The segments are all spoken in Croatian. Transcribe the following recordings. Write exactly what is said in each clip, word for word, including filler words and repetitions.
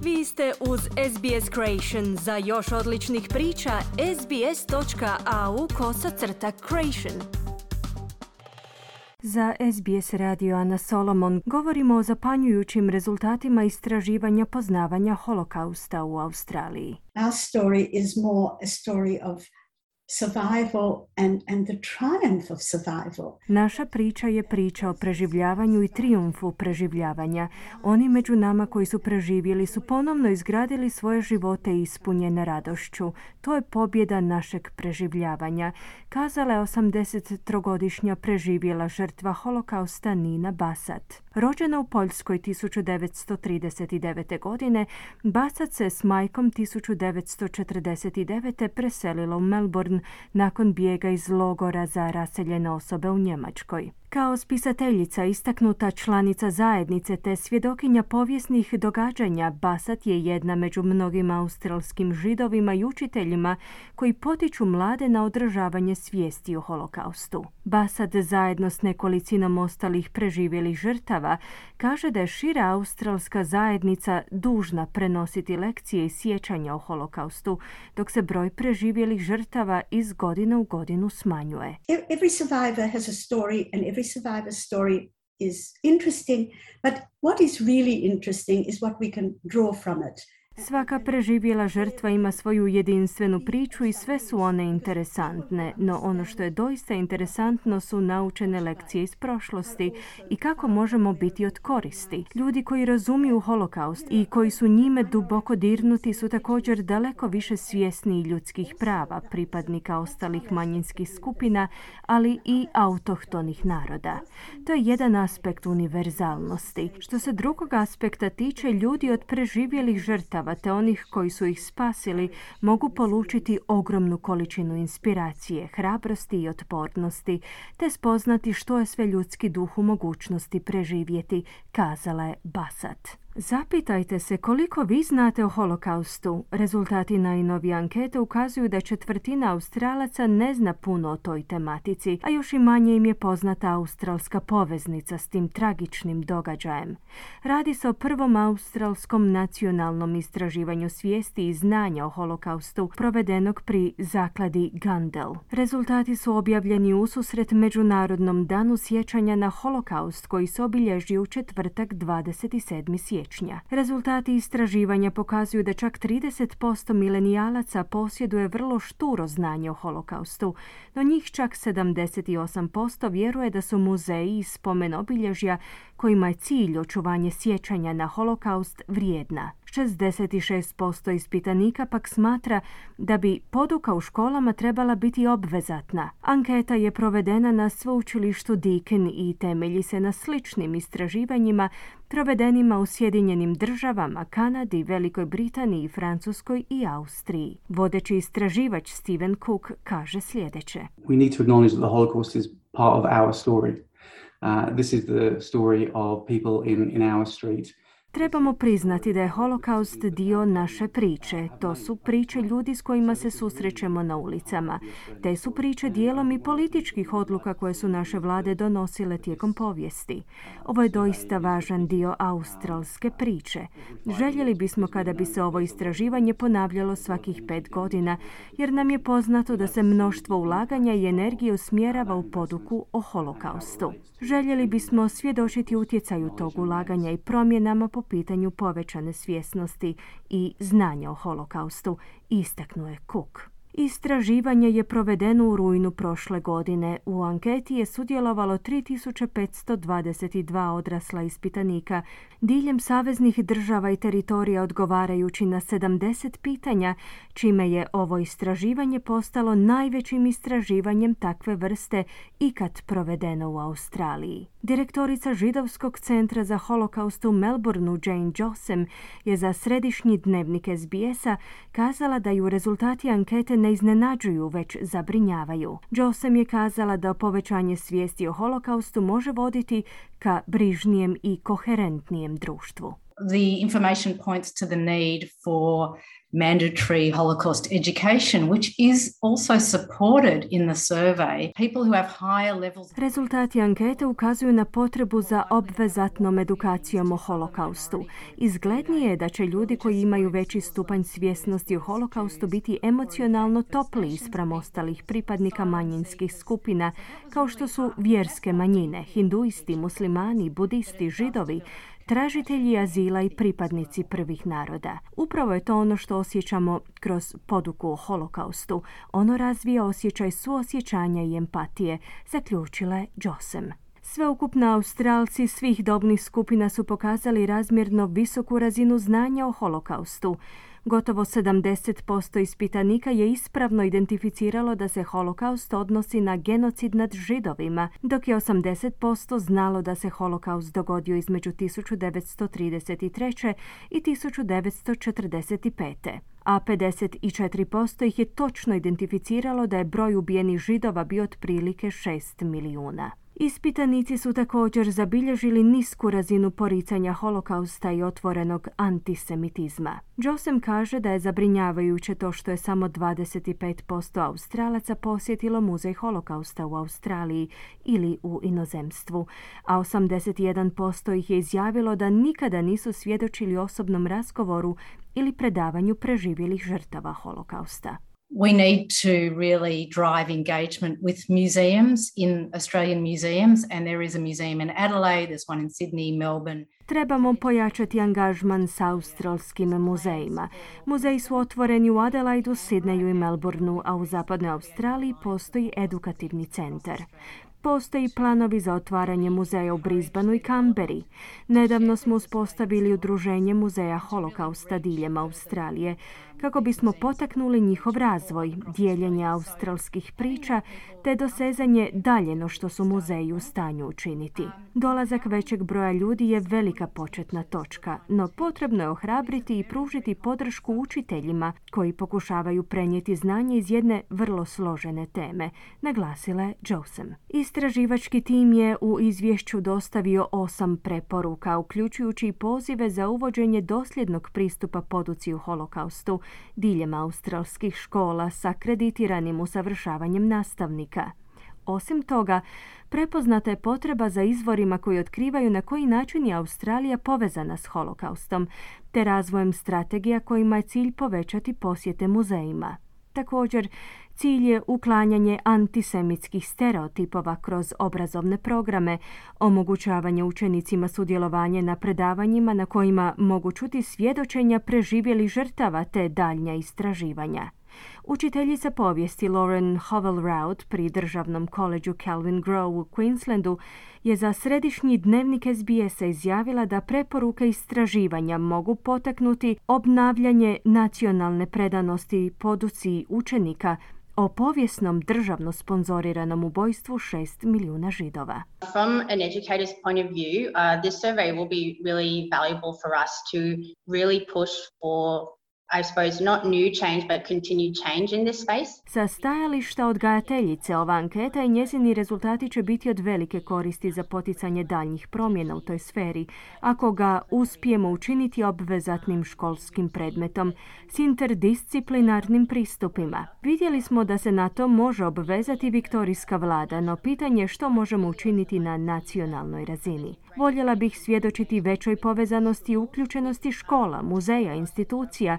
Vi ste uz S B S Creation. Za još odličnih priča, sbs.au kosacrta creation. Za S B S radio Ana Solomon govorimo o zapanjujućim rezultatima istraživanja poznavanja holokausta u Australiji. Our story is more a story of survival and, and the triumph of survival. Naša priča je priča o preživljavanju i trijumfu preživljavanja. Oni među nama koji su preživjeli su ponovno izgradili svoje živote ispunjene radošću. To je pobjeda našeg preživljavanja, kazala je osamdesettrogodišnja preživjela žrtva holokausta Nina Basat. Rođena u Poljskoj tisuću devetsto trideset devete. godine, Basat se s majkom tisuću devetsto četrdeset devete. preselila u Melbourne nakon bijega iz logora za raseljene osobe u Njemačkoj. Kao spisateljica, istaknuta članica zajednice te svjedokinja povijesnih događanja, Basat je jedna među mnogim australskim židovima i učiteljima koji potiču mlade na održavanje svijesti o holokaustu. Basat zajedno s nekolicinom ostalih preživjelih žrtava kaže da je šira australska zajednica dužna prenositi lekcije i sjećanja o holokaustu, dok se broj preživjelih žrtava iz godine u godinu smanjuje. Every survivor has a story and every survivor's story is interesting, but what is really interesting is what we can draw from it. Svaka preživjela žrtva ima svoju jedinstvenu priču i sve su one interesantne, no ono što je doista interesantno su naučene lekcije iz prošlosti i kako možemo biti od koristi. Ljudi koji razumiju holokaust i koji su njime duboko dirnuti su također daleko više svjesni ljudskih prava, pripadnika ostalih manjinskih skupina, ali i autohtonih naroda. To je jedan aspekt univerzalnosti. Što se drugog aspekta tiče, ljudi od preživjelih žrtava te onih koji su ih spasili mogu polučiti ogromnu količinu inspiracije, hrabrosti i otpornosti, te spoznati što je sve ljudski duh u mogućnosti preživjeti, kazala je Basat. Zapitajte se koliko vi znate o holokaustu. Rezultati najnovije ankete ukazuju da četvrtina Australaca ne zna puno o toj tematici, a još i manje im je poznata australska poveznica s tim tragičnim događajem. Radi se o prvom australskom nacionalnom istraživanju svijesti i znanja o holokaustu provedenog pri zakladi Gundel. Rezultati su objavljeni ususret Međunarodnom danu sjećanja na holokaust koji se obilježi u četvrtak dvadeset sedmog siječnja. Rezultati istraživanja pokazuju da čak trideset posto milenijalaca posjeduje vrlo šturo znanje o holokaustu, no njih čak sedamdeset osam posto vjeruje da su muzeji i spomen obilježja kojima je cilj očuvanje sjećanja na holokaust vrijedna. šezdeset šest posto ispitanika pak smatra da bi poduka u školama trebala biti obvezatna. Anketa je provedena na sveučilištu Deakin i temelji se na sličnim istraživanjima provedenima u Sjedinjenim državama, Kanadi, Velikoj Britaniji, Francuskoj i Austriji. Vodeći istraživač Stephen Cook kaže sljedeće. We need to acknowledge that the Holocaust is part of our story. Uh, this is the story of people in, in our street. Trebamo priznati da je holokaust dio naše priče. To su priče ljudi s kojima se susrećemo na ulicama. Te su priče dijelom i političkih odluka koje su naše vlade donosile tijekom povijesti. Ovo je doista važan dio australske priče. Željeli bismo kada bi se ovo istraživanje ponavljalo svakih pet godina, jer nam je poznato da se mnoštvo ulaganja i energije usmjerava u poduku o holokaustu. Željeli bismo svjedočiti utjecaju tog ulaganja i promjenama po pitanju povećane svjesnosti i znanja o holokaustu, istaknuo je Cook. Istraživanje je provedeno u rujnu prošle godine. U anketi je sudjelovalo tri tisuće petsto dvadeset dva odrasla ispitanika diljem saveznih država i teritorija odgovarajući na sedamdeset pitanja, čime je ovo istraživanje postalo najvećim istraživanjem takve vrste ikad provedeno u Australiji. Direktorica Židovskog centra za holokaust u Melbourneu, Jane Jossem, je za središnji dnevnik S B S-a kazala da ju rezultati ankete ne iznenađuju, već zabrinjavaju. Jossem je kazala da povećanje svijesti o holokaustu može voditi ka brižnijem i koherentnijem društvu. The information points to the need for mandatory Holocaust education, which is also supported in the survey. People who have higher levels... Rezultati ankete ukazuju na potrebu za obvezatnom edukacijom o holokaustu. Izglednije je da će ljudi koji imaju veći stupanj svjesnosti o holokaustu biti emocionalno topliji spram ostalih pripadnika manjinskih skupina, kao što su vjerske manjine, hinduisti, muslimani, budisti, židovi, tražitelji azila i pripadnici prvih naroda. Upravo je to ono što osjećamo kroz poduku o holokaustu. Ono razvija osjećaj suosjećanja i empatije, zaključila je Josem. Sveukupno Australci svih dobnih skupina su pokazali razmjerno visoku razinu znanja o holokaustu. Gotovo sedamdeset posto ispitanika je ispravno identificiralo da se holokaust odnosi na genocid nad Židovima, dok je osamdeset posto znalo da se holokaust dogodio između tisuću devetsto trideset treće i tisuću devetsto četrdeset pete a pedeset četiri posto ih je točno identificiralo da je broj ubijenih Židova bio otprilike šest milijuna. Ispitanici su također zabilježili nisku razinu poricanja holokausta i otvorenog antisemitizma. Josem kaže da je zabrinjavajuće to što je samo dvadeset pet posto Australaca posjetilo muzej holokausta u Australiji ili u inozemstvu, a osamdeset jedan posto ih je izjavilo da nikada nisu svjedočili osobnom razgovoru ili predavanju preživjelih žrtava holokausta. We need to really drive engagement with museums in Australian museums, and there is a museum in Adelaide, there's one in Sydney, Melbourne. Trebamo pojačati angažman s australskim muzejima. Muzeji su otvoreni u Adelaidu, Sidneju i Melbourneu, a u zapadnoj Australiji postoji edukativni centar. Postoji planovi za otvaranje muzeja u Brisbaneu i Canberri. Nedavno smo uspostavili udruženje muzeja holokausta diljem Australije kako bismo potaknuli njihov razvoj, dijeljenje australskih priča te dosezanje dalje no što su muzeji u stanju učiniti. Dolazak većeg broja ljudi je velika početna točka, no potrebno je ohrabriti i pružiti podršku učiteljima koji pokušavaju prenijeti znanje iz jedne vrlo složene teme, naglasila je Josem. Istraživački tim je u izvješću dostavio osam preporuka, uključujući i pozive za uvođenje dosljednog pristupa poduci u holokaustu diljem australskih škola sa akreditiranim usavršavanjem nastavnika. Osim toga, prepoznata je potreba za izvorima koji otkrivaju na koji način je Australija povezana s holokaustom, te razvojem strategija kojima je cilj povećati posjete muzejima. Također, cilj je uklanjanje antisemitskih stereotipova kroz obrazovne programe, omogućavanje učenicima sudjelovanje na predavanjima na kojima mogu čuti svjedočenja preživjelih žrtava te daljnja istraživanja. Učiteljica povijesti Lauren Howell-Roud pri državnom koledžu Kelvin Grove u Queenslandu je za središnji dnevnik S B S-a izjavila da preporuke istraživanja mogu potaknuti obnavljanje nacionalne predanosti poduci učenika o povijesnom državno sponzoriranom ubojstvu šest milijuna Židova. From an educator's point of view, uh, this survey will be really valuable for us to really push for, I suppose, not new change, but continued change in this space. Sa stajališta odgajateljice, ova anketa i njezini rezultati će biti od velike koristi za poticanje daljnjih promjena u toj sferi, ako ga uspijemo učiniti obvezatnim školskim predmetom s interdisciplinarnim pristupima. Vidjeli smo da se na to može obvezati viktorijska vlada, no pitanje je što možemo učiniti na nacionalnoj razini. Voljela bih svjedočiti većoj povezanosti i uključenosti škola, muzeja, institucija,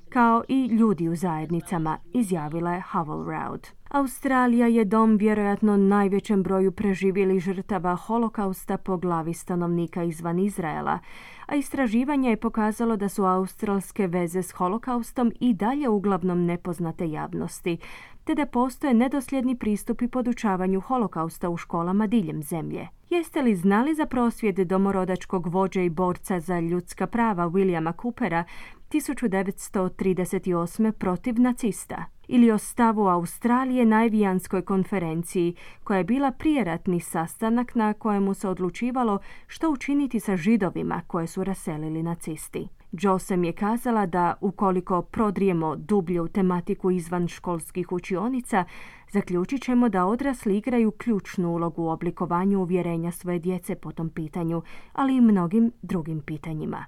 kao i ljudi u zajednicama, izjavila je Howell-Roud. Australija je dom vjerojatno najvećem broju preživjelih žrtava holokausta po glavi stanovnika izvan Izraela, a istraživanje je pokazalo da su australske veze s holokaustom i dalje uglavnom nepoznate javnosti, te da postoje nedosljedni pristupi podučavanju holokausta u školama diljem zemlje. Jeste li znali za prosvjed domorodačkog vođe i borca za ljudska prava Williama Coopera tisuću devetsto trideset osme protiv nacista? Ili o stavu Australije na Evijanskoj konferenciji, koja je bila prijeratni sastanak na kojemu se odlučivalo što učiniti sa Židovima koje su raselili nacisti. Josem je kazala da ukoliko prodrijemo dublje u tematiku izvan školskih učionica, zaključit ćemo da odrasli igraju ključnu ulogu u oblikovanju uvjerenja svoje djece po tom pitanju, ali i mnogim drugim pitanjima.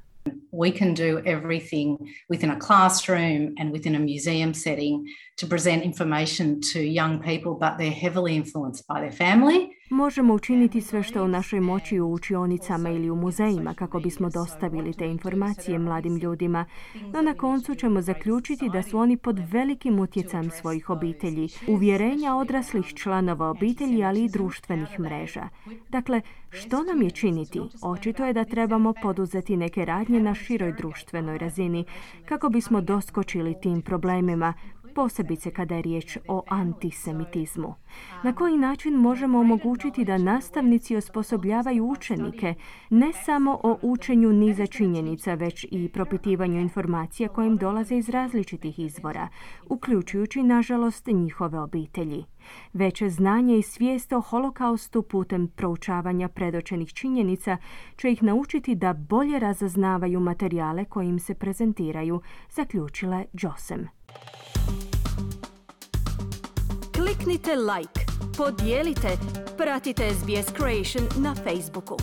We can do everything within a classroom and within a museum setting to present information to young people, but they're heavily influenced by their family. Možemo učiniti sve što je u našoj moći u učionicama ili u muzejima kako bismo dostavili te informacije mladim ljudima, no na koncu ćemo zaključiti da su oni pod velikim utjecajem svojih obitelji, uvjerenja odraslih članova obitelji, ali i društvenih mreža. Dakle, što nam je činiti? Očito je da trebamo poduzeti neke radnje na široj društvenoj razini kako bismo doskočili tim problemima, posebice kada je riječ o antisemitizmu. Na koji način možemo omogućiti da nastavnici osposobljavaju učenike ne samo o učenju niza činjenica, već i propitivanju informacija koje im dolaze iz različitih izvora, uključujući, nažalost, njihove obitelji. Veće znanje i svijest o holokaustu putem proučavanja predočenih činjenica će ih naučiti da bolje razaznavaju materijale koji im se prezentiraju, zaključila je Josem. Kliknite like, podijelite, pratite S B S Creation na Facebooku.